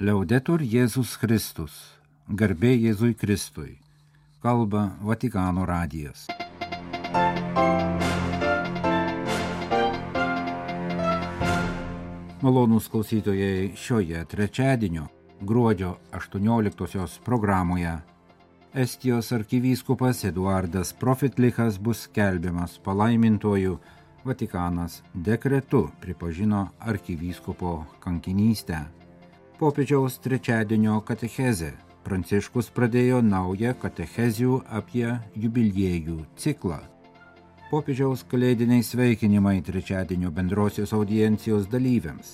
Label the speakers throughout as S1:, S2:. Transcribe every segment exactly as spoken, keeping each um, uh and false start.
S1: Liaudetur Jėzus Kristus, garbė Jėzui Kristui, kalba Vatikano radijas. Malonūs klausytojai, šioje trečiadienio gruodžio aštuonioliktosios programoje Estijos arkivyskupas Eduardas Profitlichas bus skelbiamas palaimintuoju. Vatikanas dekretu pripažino arkivyskupo kankinystę. Popiežiaus trečiadienio katechezė. Pranciškus pradėjo naują katechezių apie jubiliejų ciklą. Popiežiaus kalėdiniai sveikinimai trečiadienio bendrosios audiencijos dalyviams.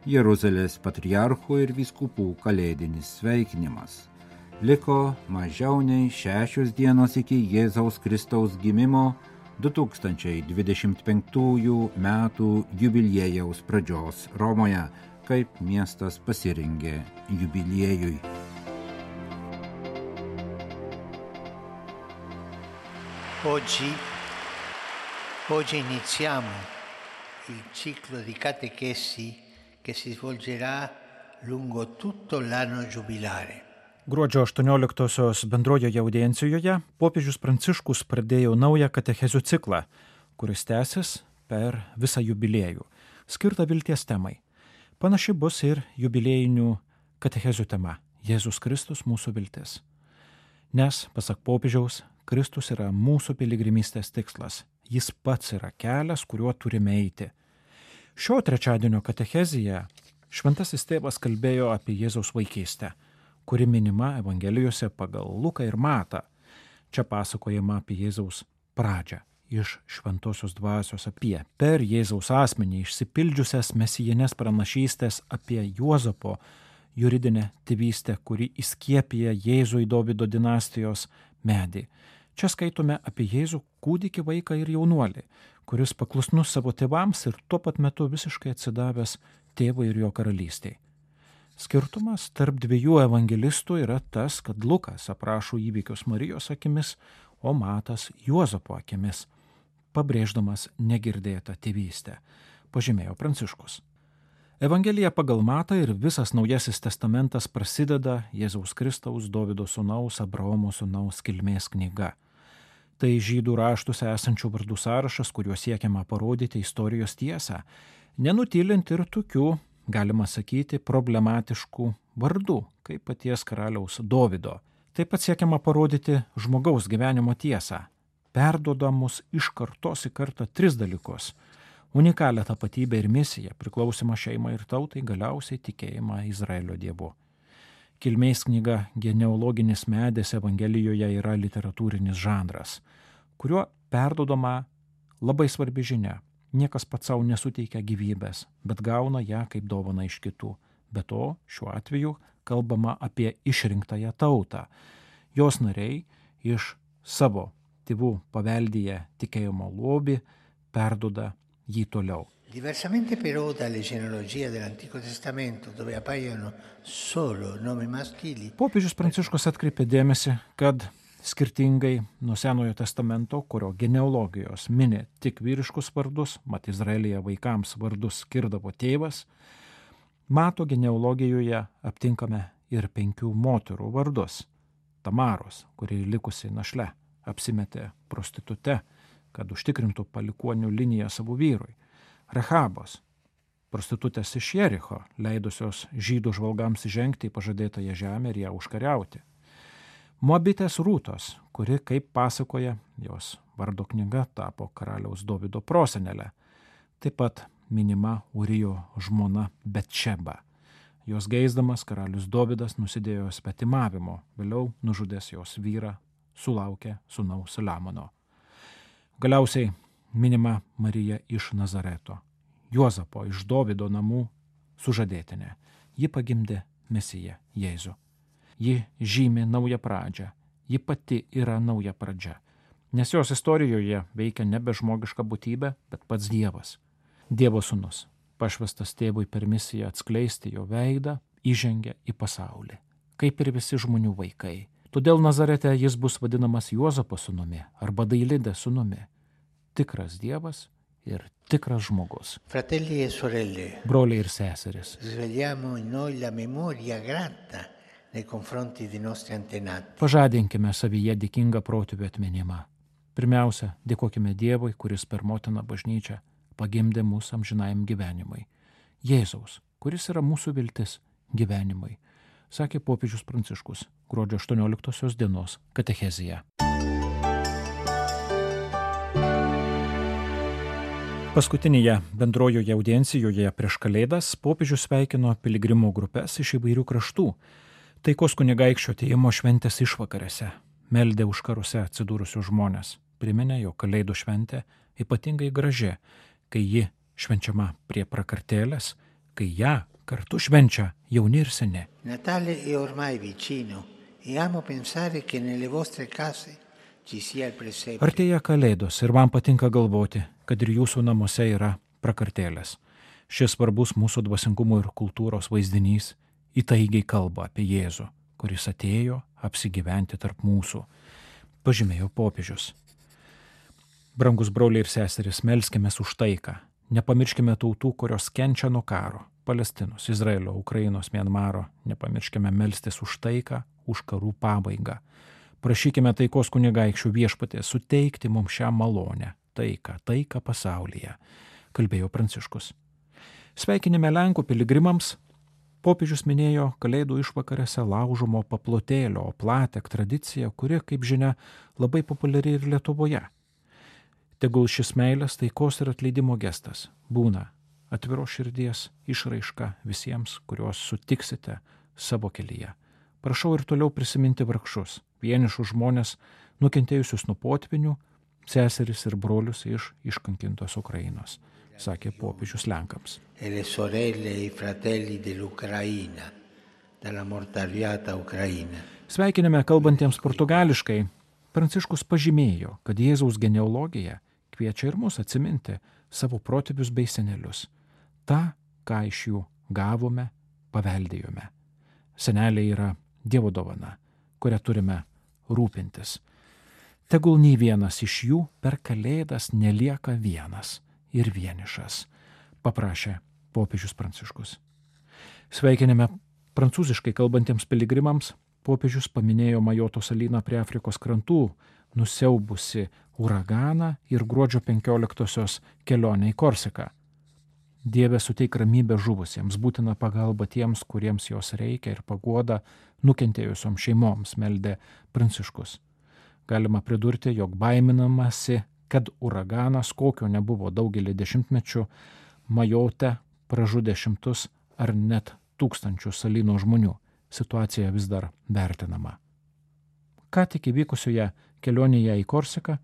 S1: Jeruzalės patriarchų ir vyskupų kalėdinis sveikinimas. Liko mažiau nei šešios dienos iki Jėzaus Kristaus gimimo du tūkstančiai dvidešimt penktųjų metų jubiliejaus pradžios Romoje, kaip miestas pasirengė jubiliejui.
S2: Oggi, oggi iniziamo il ciclo di catechesi che si svolgerà lungo tutto l'anno giubilare.
S3: Gruodžio aštuonioliktosios bendrojoje audiencijoje popiežius Pranciškus pradėjo naują katechezių ciklą, kuris tęsis per visą jubiliejų, skirtą vilties temai. Panaši bus ir jubiliejinių katechezių tema – Jėzus Kristus mūsų viltis. Nes, pasak popiežiaus, Kristus yra mūsų piligrimystės tikslas. Jis pats yra kelias, kuriuo turime eiti. Šio trečiadienio katechezėje šventasis tėvas kalbėjo apie Jėzaus vaikystę, kuri minima Evangelijose pagal Luką ir Matą. Čia pasakojama apie Jėzaus pradžią iš šventosios dvasios, apie per Jėzaus asmenį išsipildžiusias mesijinės pranašystės apie Juozapo juridinę tėvystę, kuri įskiepija Jėzų į Dovydo dinastijos medį. Čia skaitome apie Jėzų kūdikį, vaiką ir jaunuolį, kuris paklusnus savo tėvams ir tuo pat metu visiškai atsidavęs tėvui ir jo karalystiai. Skirtumas tarp dviejų evangelistų yra tas, kad Lukas aprašo įvykius Marijos akimis, o Matas Juozapo akimis, pabrėždamas negirdėtą tėvystę, pažymėjo Pranciškus. Evangelija pagal Matą ir visas Naujasis testamentas prasideda Jėzaus Kristaus Dovydo sūnaus Abraomo sūnaus kilmės knyga. Tai žydų raštuose esančių vardų sąrašas, kuriuo siekiama parodyti istorijos tiesą, nenutylint ir tokių, galima sakyti, problematiškų vardų, kaip paties karaliaus Dovydo. Taip pat siekiama parodyti žmogaus gyvenimo tiesą, perduodamus iš kartos į kartą tris dalykus – unikalią tapatybę ir misiją, priklausimą šeimai ir tautai, galiausiai tikėjimą Izraelio dievu. Kilmės knyga genealoginis medis Evangelijoje yra literatūrinis žanras, kuriuo perduodama labai svarbi žinia. Niekas pats savo nesuteikia gyvybės, bet gauna ją kaip dovaną iš kitų. Be to, šiuo atveju kalbama apie išrinktąją tautą. Jos nariai iš savo tėvų paveldyje tikėjimo lobį perduoda jį toliau.
S2: Diversamente però dalle genealogie dell'Antico Testamento, dove appaiono solo nomi maschili.
S3: Popiežius Pranciškus atkreipė dėmesį, kad skirtingai nuo Senojo testamento, kurio genealogijos mini tik vyriškus vardus, mat Izraelyje vaikams vardus skirdavo tėvas, Mato genealogijoje aptinkame ir penkių moterų vardus. Tamaros, kuri likusi našle, apsimetė prostitute, kad užtikrintų palikuonių liniją savo vyrui. Rechabos, prostitutės iš Jericho, leidusios žydų žvalgams žengti į pažadėtąją žemę ir ją užkariauti. Moabitės Rūtos, kuri, kaip pasakoja, jos vardo knyga tapo karaliaus Dovydo prosenelė. Taip pat minima Urijo žmona Betšeba. Jos geisdamas karalius Dovydas nusidėjo svetimavimo, vėliau nužudęs jos vyrą, sulaukė sūnaus Saliamono. Galiausiai minima Marija iš Nazareto, Juozapo iš Dovydo namų sužadėtinė. Ji pagimdė Mesiją Jėzų. Ji žymi naują pradžią, ji pati yra nauja pradžia, nes jos istorijoje veikia nebe žmogiška būtybė, bet pats Dievas. Dievo sūnus, pašvestas tėvui per misiją atskleisti jo veidą, įžengia į pasaulį, kaip ir visi žmonių vaikai. Todėl Nazarete jis bus vadinamas Juozapo sūnumi arba Dailidės sūnumi. Tikras Dievas ir tikras žmogus.
S2: Fratelli e sorelle,
S3: Broliai ir seserys,
S2: svegliamo in noi la memoria grata nei confronti dei nostri antenati.
S3: pažadinkime savyje dėkingą protėvių atminimą. Pirmiausia, dėkokime Dievui, kuris per motiną bažnyčią pagimdė mūsų amžinajam gyvenimui. Jėzaus, kuris yra mūsų viltis gyvenimui, sakė popiežius Pranciškus gruodžio aštuonioliktosios dienos katechezėje. Paskutinėje bendrojoje audiencijoje prieš Kalėdas popiežius sveikino piligrimų grupės iš įvairių kraštų. Taikos kunigaikščio atėjimo šventės išvakarėse meldė už karuose atsidūrusius žmonės. Priminė, jog Kalėdų šventė ypatingai graži, kai ji švenčiama prie prakartėlės, kai ją kartu švenčia jauni ir seni.
S2: Natale è ormai vicino e amo pensare che nelle vostre case ci sia il presepe.
S3: Artėja Kalėdos ir man patinka galvoti, kad ir jūsų namuose yra prakartėlės. Šis svarbus mūsų dvasingumo ir kultūros vaizdinys įtaigiai kalba apie Jėzų, kuris atėjo apsigyventi tarp mūsų, pažymėjo popiežius. Brangus broliai ir seserys, melskimės už taiką. Nepamirškime tautų, kurios kenčia nuo karo. Palestinos, Izraelio, Ukrainos, Mianmaro. Nepamirškime melstis už taiką, už karų pabaigą. Prašykime taikos kunigaikščių viešpatės suteikti mums šią malonę, taiką, taiką pasaulyje, kalbėjo Pranciškus. Sveikinime Lenkų piligrimams popiežius minėjo Kalėdų išvakarėse laužomo paplotėlio platek tradiciją, kuri, kaip žinia, labai populiari ir Lietuvoje. Tegul šis meilės, taikos ir atleidimo gestas būna atviro širdies išraiška visiems, kuriuos sutiksite savo kelyje. Prašau ir toliau prisiminti vargšus, vienišus žmonės, nukentėjusius nuo potvinių, seseris ir brolius iš iškankintos Ukrainos, sakė popiežius Lenkams.
S2: E le sorelle e i fratelli dell'Ucraina, dalla mortariata Ucraina.
S3: Sveikinime kalbantiems portugališkai, Pranciškus pažymėjo, kad Jėzaus genealogija kviečia ir mus atsiminti savo protėvius bei senelius. Ta, ką iš jų gavome, paveldėjome. Seneliai yra Dievo dovana, kurią turime rūpintis. Tegul nei vienas iš jų per Kalėdas nelieka vienas ir vienišas, paprašė popiežius Pranciškus. Sveikinime prancūziškai kalbantiems piligrimams popiežius paminėjo Majoto salyną prie Afrikos krantų, nusiaubusi uraganą ir gruodžio penkioliktosios kelionę į Korsiką. Dieve, suteik ramybę žuvusiems, būtina pagalba tiems, kuriems jos reikia, ir paguoda nukentėjusioms šeimoms, meldė Pranciškus. Galima pridurti, jog baiminamasi, kad uraganas, kokio nebuvo daugelį dešimtmečių, Majote pražudė šimtus ar net tūkstančius salyno žmonių. Situacija vis dar vertinama. Ką tik įvykusioje kelionėje į Korsiką,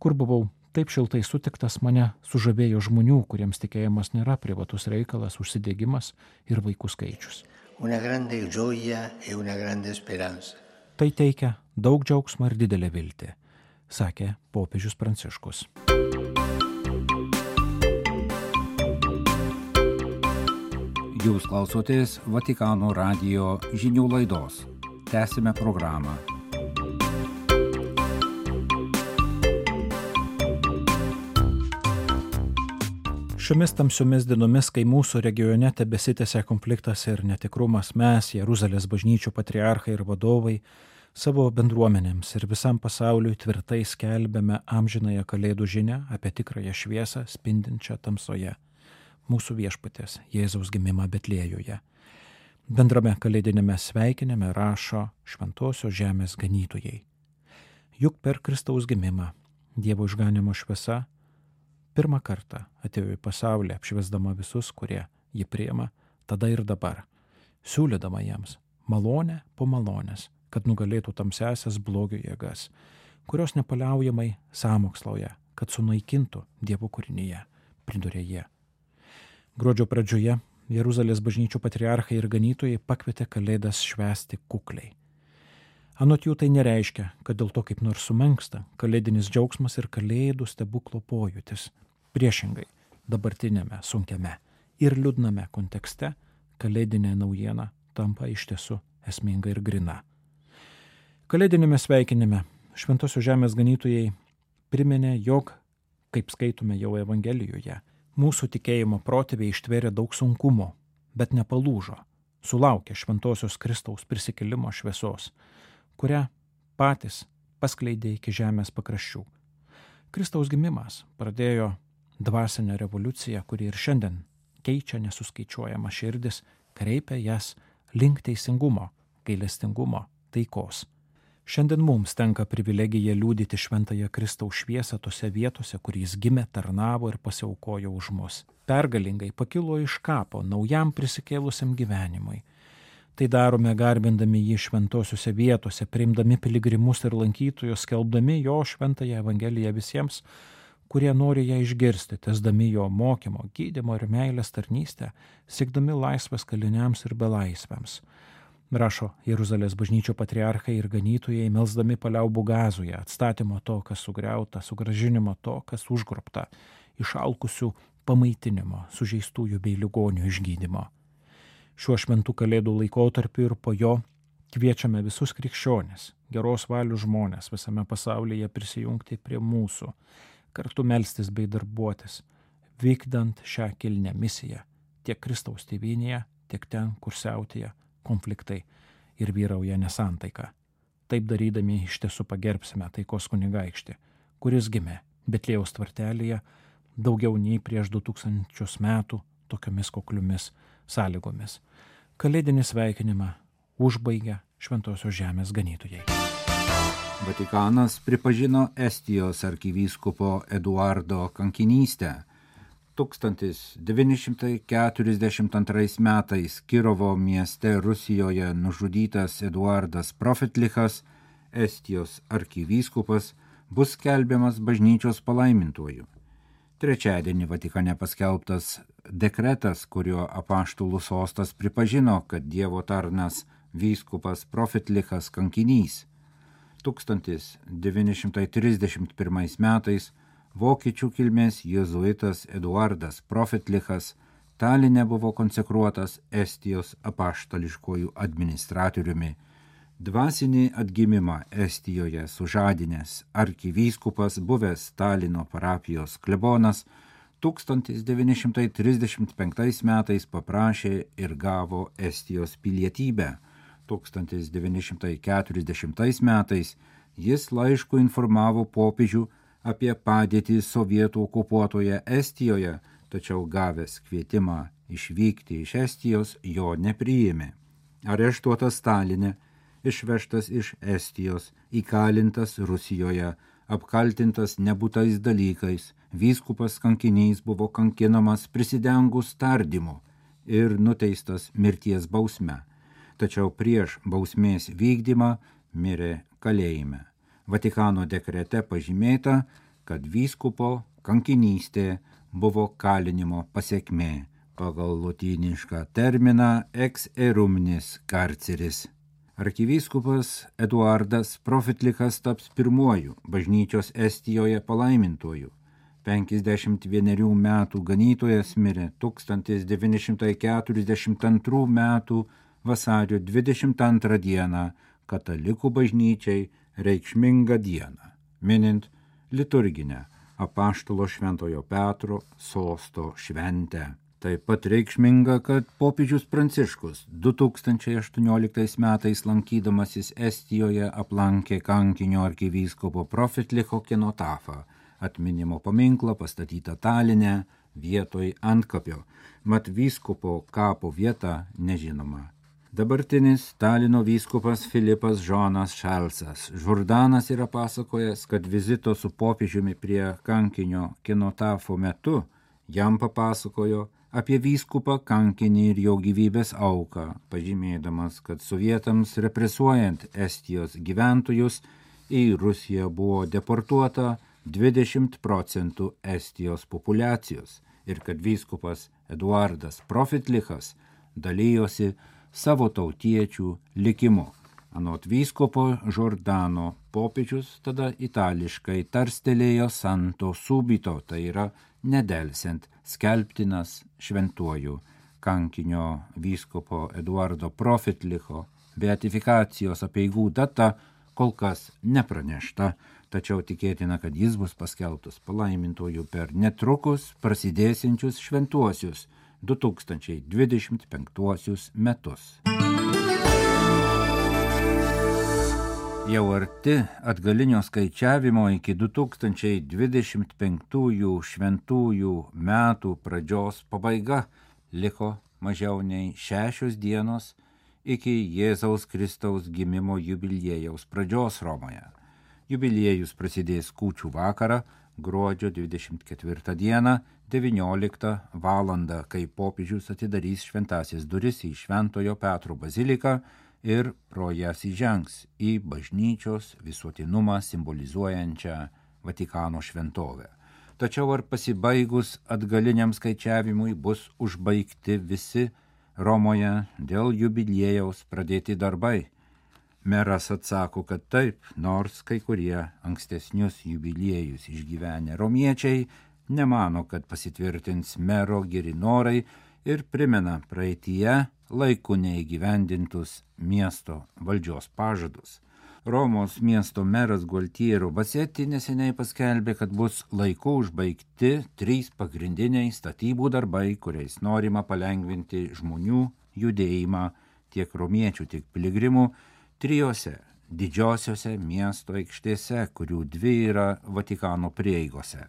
S3: kur buvau taip šiltai sutiktas, mane sužavėjo žmonių, kuriems tikėjimas nėra privatus reikalas, užsidėgymas ir vaikų skaičius.
S2: Una grande gioia e una grande speranza.
S3: Tai teikia daug džiaugsmo ir didelę viltį, sakė popiežius Pranciškus.
S1: Jūs klausotės Vatikano radijo žinių laidos. Tęsime programą.
S3: Šiomis tamsiomis dienomis, kai mūsų regione tebesitęsia konfliktas ir netikrumas, mes, Jeruzalės bažnyčių patriarchai ir vadovai, savo bendruomenėms ir visam pasauliui tvirtai skelbiame amžinąją Kalėdų žinią apie tikrąją šviesą spindinčią tamsoje. Mūsų viešpatės Jėzaus gimimą Betlėjuje. Bendrame kalėdinėme sveikinime rašo šventosios žemės ganytojai. Juk per Kristaus gimimą Dievo išganimo šviesa pirmą kartą atėjo į pasaulį, apšviesdama visus, kurie jį priima tada ir dabar, siūlydama jiems malonę po malonės, kad nugalėtų tamsiąsias blogio jėgas, kurios nepaliaujamai sąmokslauja, kad sunaikintų Dievo kūrinyje, pridūrė jie. Gruodžio pradžioje Jeruzalės bažnyčių patriarchai ir ganytojai pakvietė Kalėdas švęsti kukliai. Anot jų tai nereiškia, kad dėl to kaip nors sumenksta kalėdinis džiaugsmas ir Kalėdų stebuklo pojūtis. Priešingai, dabartinėme sunkiame ir liūdname kontekste kalėdinė naujiena tampa iš tiesų esminga ir grina. Kalėdinėme sveikinime šventosios žemės ganytojai priminė, jog kaip skaitome jau Evangelijoje. Mūsų tikėjimo protėviai ištvėrė daug sunkumo, bet nepalūžo, sulaukė šventosios Kristaus prisikėlimo šviesos, kurią patys paskleidė iki žemės pakraščių. Kristaus gimimas pradėjo dvasinę revoliuciją, kuri ir šiandien keičia nesuskaičiuojama širdis, kreipia jas link teisingumo, gailestingumo, taikos. Šiandien mums tenka privilegija liudyti šventąją Kristaus šviesą tose vietose, kur jis gimė, tarnavo ir pasiaukojo už mus. Pergalingai pakilo iš kapo naujam prisikėlusiam gyvenimui. Tai darome garbindami jį šventosiuose vietose, priimdami piligrimus ir lankytojus, skelbdami jo šventąją Evangeliją visiems, kurie nori ją išgirsti, tesdami jo mokymo, gydymo ir meilės tarnystę, siekdami laisvės kaliniams ir belaisviams. Rašo Jeruzalės bažnyčio patriarchai ir ganytojai, melsdami paliaubų Gazoje, atstatymo to, kas sugriauta, sugrąžinimo to, kas užgrobta, išalkusių pamaitinimo, sužeistųjų bei ligonių išgydymo. Šiuo šventų kalėdų laikotarpiu ir po jo kviečiame visus krikščionis, geros valių žmonės visame pasaulyje prisijungti prie mūsų, kartu melstis bei darbuotis, vykdant šią kilnią misiją tiek Kristaus tėvynėje, tiek ten, kur siautėja konfliktai ir vyrauja nesantaika. Taip darydami iš tiesų pagerbsime taikos kunigaikštį, kuris gimė Betliejaus tvartelėje daugiau nei prieš du tūkstančius metų tokiomis kukliomis sąlygomis. Kalėdinį sveikinimą užbaigia Šventosios žemės ganytojai.
S1: Vatikanas pripažino Estijos arkivyskupo Eduardo kankinystę. tūkstantis devyni šimtai keturiasdešimt antrais metais Kirovo mieste Rusijoje nužudytas Eduardas Profetlichas, Estijos arkivyskupas, bus skelbiamas bažnyčios palaimintuoju. Trečiadienį Vatikane paskelbtas dekretas, kuriuo apaštalų sostas pripažino, kad Dievo tarnas vyskupas Profetlichas kankinys. tūkstantis devyni šimtai trisdešimt pirmais metais vokiečių kilmės jėzuitas Eduardas Profetlichas Taline buvo konsekruotas Estijos apaštališkojų administratoriumi. Dvasinį atgimimą Estijoje sužadinęs arkivyskupas, buvęs Talino parapijos klebonas, tūkstantis devyni šimtai trisdešimt penktais metais paprašė ir gavo Estijos pilietybę. tūkstantis devyni šimtai keturiasdešimtais metais jis laišku informavo popiežių apie padėtį sovietų okupuotoje Estijoje, tačiau gavęs kvietimą išvykti iš Estijos jo nepriėmė. Areštuotas Taline, išvežtas iš Estijos, įkalintas Rusijoje, apkaltintas nebūtais dalykais, vyskupas kankinys buvo kankinamas prisidengus tardymu ir nuteistas mirties bausme, tačiau prieš bausmės vykdymą mirė kalėjime. Vatikano dekrete pažymėta, kad vyskupo kankinystė buvo kalinimo pasekmė pagal lotynišką terminą ex erumnis carceris. Arkivyskupas Eduardas Profetlichas taps pirmuoju bažnyčios Estijoje palaimintuoju. penkiasdešimt vienerių metų ganytojas mirė tūkstantis devyni šimtai keturiasdešimt antrų metų vasario dvidešimt antrą dieną katalikų bažnyčiai reikšmingą dieną, minint liturginę apaštalo Šventojo Petro sosto šventę. Taip pat reikšminga, kad popiežius Pranciškus du tūkstančiai aštuonioliktais metais lankydamasis Estijoje aplankė kankinio arkivyskupo Profetlicho kenotafą, atminimo paminklą pastatytą Taline vietoj antkapio, mat vyskupo kapo vieta nežinoma. Dabartinis Talino vyskupas Filipas Žonas Šalsas Žurdanas yra pasakojęs, kad vizito su popiežiumi prie kankinio kenotafo metu jam papasakojo apie vyskupą kankinį ir jo gyvybės auką, pažymėdamas, kad sovietams represuojant Estijos gyventojus į Rusiją buvo deportuota dvidešimt procentų Estijos populiacijos ir kad vyskupas Eduardas Profetlichas dalyjosi savo tautiečių likimu. Anot vyskupo Žordano popiežius tada itališkai tarstelėjo santo subito, tai yra nedelsiant skelbtinas šventuoju. Kankinio vyskupo Eduardo Profetlicho beatifikacijos apeigų data kol kas nepranešta, tačiau tikėtina, kad jis bus paskelbtas palaimintojų per netrukus prasidėsiančius šventuosius du tūkstančiai dvidešimt penktuosius metus. Jau arti atgalinio skaičiavimo iki du tūkstančiai dvidešimt penktųjų šventųjų metų pradžios pabaiga liko mažiau nei šešios dienos iki Jėzaus Kristaus gimimo jubiliejaus pradžios Romoje. Jubiliejus prasidės kūčių vakarą, gruodžio dvidešimt ketvirtą dieną, devynioliktą valandą, kai popiežius atidarys šventąsias duris į Šventojo Petro baziliką ir pro jas įžengs į bažnyčios visuotinumą simbolizuojančią Vatikano šventovę. Tačiau ar pasibaigus atgaliniam skaičiavimui bus užbaigti visi Romoje dėl jubiliejaus pradėti darbai? Meras atsako, kad taip, nors kai kurie ankstesnius jubiliejus išgyvenę romiečiai nemano, kad pasitvirtins mero geri norai ir primena praeityje laiku neįgyvendintus miesto valdžios pažadus. Romos miesto meras Gualtiero Bassetti neseniai paskelbė, kad bus laiku užbaigti trys pagrindiniai statybų darbai, kuriais norima palengvinti žmonių judėjimą tiek romiečių, tiek piligrimų trijose didžiosiose miesto aikštėse, kurių dvi yra Vatikano prieigose.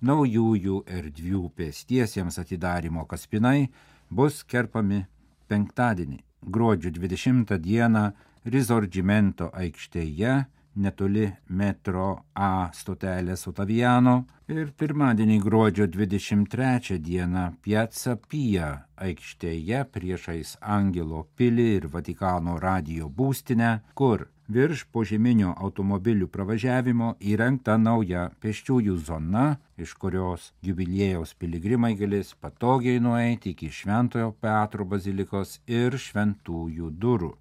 S1: Naujųjų erdvių pėstiesiems atidarymo kaspinai bus kerpami penktadienį, gruodžio dvidešimtą dieną Risorgimento aikštėje netoli metro A stotelės Ottaviano ir pirmadienį gruodžio dvidešimt trečią dieną Piazza Pia aikštėje priešais Angelo pilį ir Vatikano radijo būstinę, kur virš požeminio automobilių pravažiavimo įrengta nauja pėsčiųjų zona, iš kurios jubiliejaus piligrimai galės patogiai nueiti iki Šventojo Petro bazilikos ir šventųjų durų.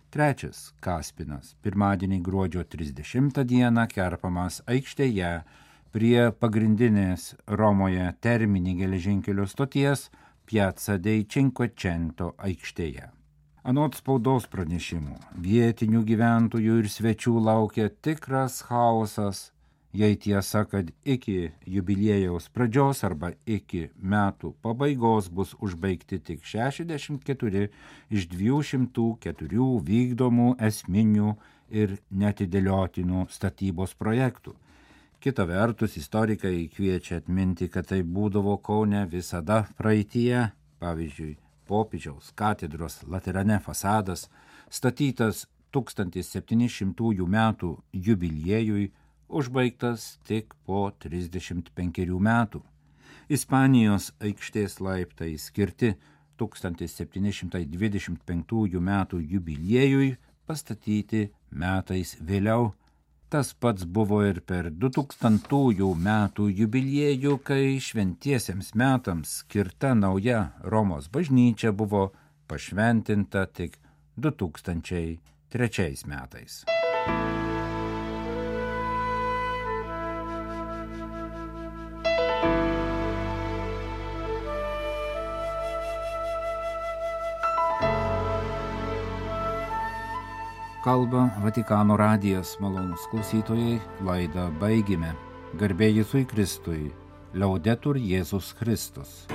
S1: Trečias kaspinas pirmadienį gruodžio trisdešimtą dieną kerpamas aikštėje prie pagrindinės Romoje Termini geležinkelio stoties Piazza dei Cinquecento aikštėje. Anot spaudos pranešimų, vietinių gyventojų ir svečių laukia tikras chaosas, jei tiesa, kad iki jubiliejaus pradžios arba iki metų pabaigos bus užbaigti tik šešiasdešimt keturi iš dviejų šimtų keturių vykdomų esminių ir netidėliotinų statybos projektų. Kita vertus, istorikai kviečia atminti, kad tai būdavo Kaune visada praeityje, pavyzdžiui, popiežiaus katedros Laterane fasadas, statytas tūkstantis septyni šimtųjų metų jubiliejui, užbaigtas tik po trisdešimt penkerių metų. Ispanijos aikštės laiptai skirti tūkstantis septyni šimtai dvidešimt penktųjų metų jubiliejui pastatyti metais vėliau. Tas pats buvo ir per du tūkstantųjų metų jubiliejų, kai šventiesiems metams skirta nauja Romos bažnyčia buvo pašventinta tik du tūkstančiai trečiais metais. Kalba Vatikano radijas, malonūs klausytojai, laidą baigime. Garbė Jėzui Kristui, Laudetur Jėzus Kristus.